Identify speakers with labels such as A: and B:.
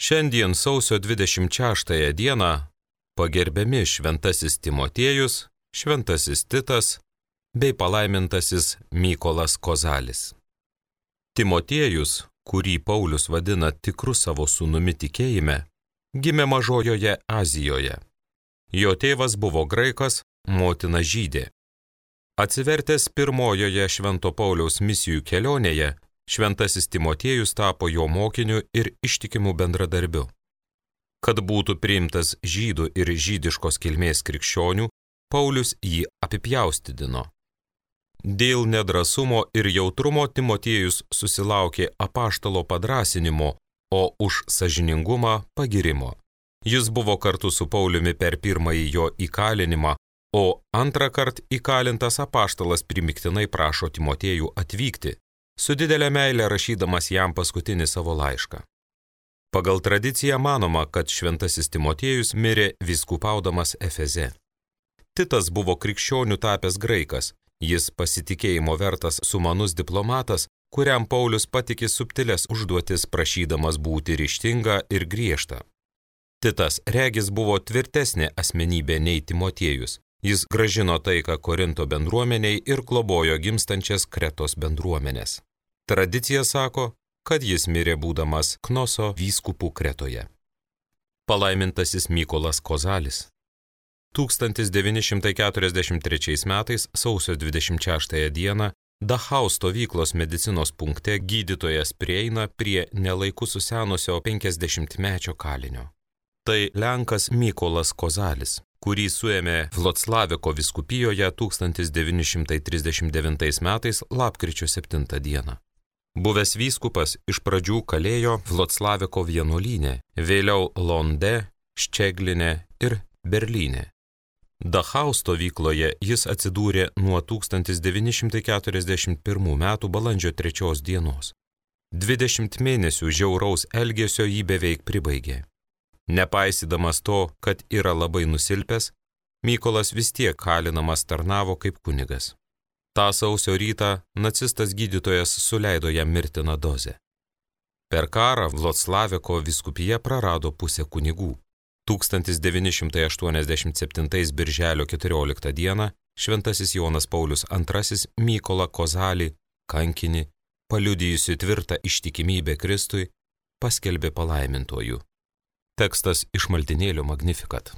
A: Šiandien sausio 26 dieną pagerbiami šventasis Timotiejus, šventasis Titas bei palaimintasis Mykolas Kozalis. Timotiejus, kurį Paulius vadina tikru savo sūnumi tikėjime, gimė Mažojoje Azijoje. Jo tėvas buvo graikas, motina žydė. Atsivertęs pirmojoje Švento Pauliaus misijų kelionėje, šventasis Timotiejus tapo jo mokiniu ir ištikimu bendradarbiu. Kad būtų priimtas žydų ir žydiškos kilmės krikščionių, Paulius jį apipjaustydino. Dėl nedrąsumo ir jautrumo Timotiejus susilaukė apaštalo padrąsinimo, o už sąžiningumą pagirimo. Jis buvo kartu su Pauliumi per pirmąjį jo įkalinimą, o antrą kartą įkalintas apaštalas primiktinai prašo Timotiejų atvykti, su didelė meilė rašydamas jam paskutinį savo laišką. Pagal tradiciją manoma, kad šventasis Timotiejus mirė vyskupaudamas Efeze. Titas buvo krikščionių tapęs graikas, jis pasitikėjimo vertas sumanus diplomatas, kuriam Paulius patikė subtilės užduotis prašydamas būti ryžtinga ir griežta. Titas regis buvo tvirtesnė asmenybė nei Timotiejus. Jis grąžino taiką Korinto bendruomeniai ir globojo gimstančias Kretos bendruomenės. Tradicija sako, kad jis mirė būdamas Knoso vyskupų Kretoje. Palaimintasis Mykolas Kozalis. 1943 metais sausio 26 dieną Dachau stovyklos medicinos punkte gydytojas prieina prie nelaiku susenusio 50-mečio kalinio. Tai lenkas Mykolas Kozalis, kurį suėmė Vloclaviko vyskupijoje 1939 metais lapkričio 7 dieną. Buvęs vyskupas iš pradžių kalėjo Vloclaviko vienuolyne, vėliau Londe, Ščegline ir Berlyne. Dachau stovykloje jis atsidūrė nuo 1941 metų balandžio 3 dienos. 20 mėnesių žiauraus elgesio jį beveik pribaigė. Nepaisydamas to, kad yra labai nusilpęs, Mykolas vis tiek kalinamas tarnavo kaip kunigas. Ta sausio rytą nacistas gydytojas suleido jam mirtiną dozę. Per karą Vloclaviko vyskupija prarado pusę kunigų. 1987 birželio 14 dieną šventasis Jonas Paulius II Mykolą Kozalį, kankinį, paliudijusi tvirtą ištikimybę Kristui, paskelbė palaimintuoju. Tekstas iš maldynėlio Magnificat.